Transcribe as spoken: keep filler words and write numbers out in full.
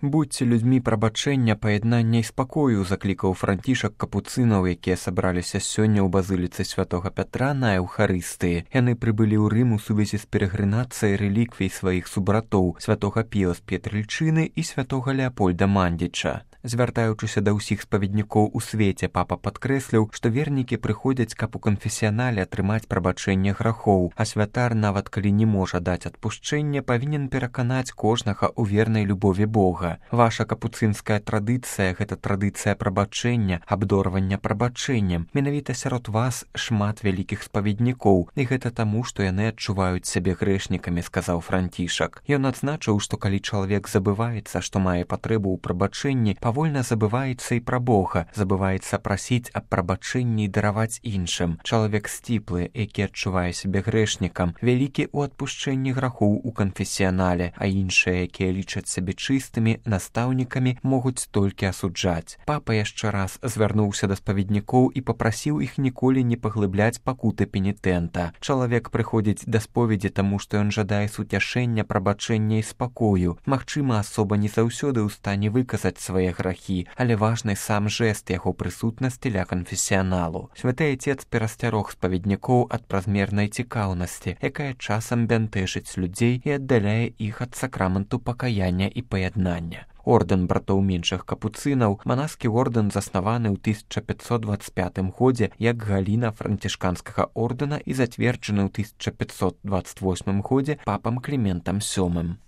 Будьце людзьмі прабачэння, паяднання і спакою, заклікаў Францішак капуцынаў, якія сабраліся сёння ў базыліцы святога Пятра на Еўхарыстыі. Яны прыбылі ў Рым у сувязі з перагрынацыяй рэліквій сваіх субратоў святога Піла з Петрыльчыны і святога Леапольда Мандзіча. Звяртаючыся да ўсіх спаведнікоў у свеце, папа падкрэсліў, што вернікі прыходзяць, каб у канфесіянале атрымаць прабачэнне грахоў, а святар, нават калі не можа даць адпушчэнне, павінен пераканаць кожнага ў вернай любові Бога. Ваша капуцынская традыцыя – гэта традыцыя прабачэння, абдорвання прабачэннем. Менавіта сярод вас шмат вялікіх спаведнікоў, і гэта таму, што яны адчуваюць сябе грэшнікамі, сказаў Францішак. Ён адзначыў, што калі чалавек забываецца, што мае патрэбу ў прабачэнні, павольна забываецца і пра Бога, забываецца прасіць аб прабачэнні і дараваць іншым. Чалавек сціплы, які адчувае сябе грэшнікам, вялікі ў адпушчэнні грахоў у канфесіянале, а іншыя, якія лічаць сябе чыстымі, настаўнікамі, могуць толькі асуджаць. Папа яшчэ раз звярнуўся да спаведнікоў і папрасіў іх ніколі не паглыбляць пакуты пенітэнта. Чалавек прыходзіць да споведзі таму, што ён жадае суцяшэння, прабачэння і спакою. Магчыма, асоба не заўсёды ў стане выказаць свае грахі, але важны сам жэст яго прысутнасці ля канфесіяналу. Святы Отец перасцярог спаведнікоў ад празмернай цікаўнасці, якая часам бянтэжыць людзей і аддаляе іх ад сакраменту пакаяння і паяднання. Ордэн братоў меншых капуцынаў, манаскі ордэн заснаваны ў тысяча пятьсот двадцать пятым годзе як галіна францішканскага ордэна і зацверджаны ў тысяча пятьсот двадцать восьмым годзе папам Кліментам сёмым.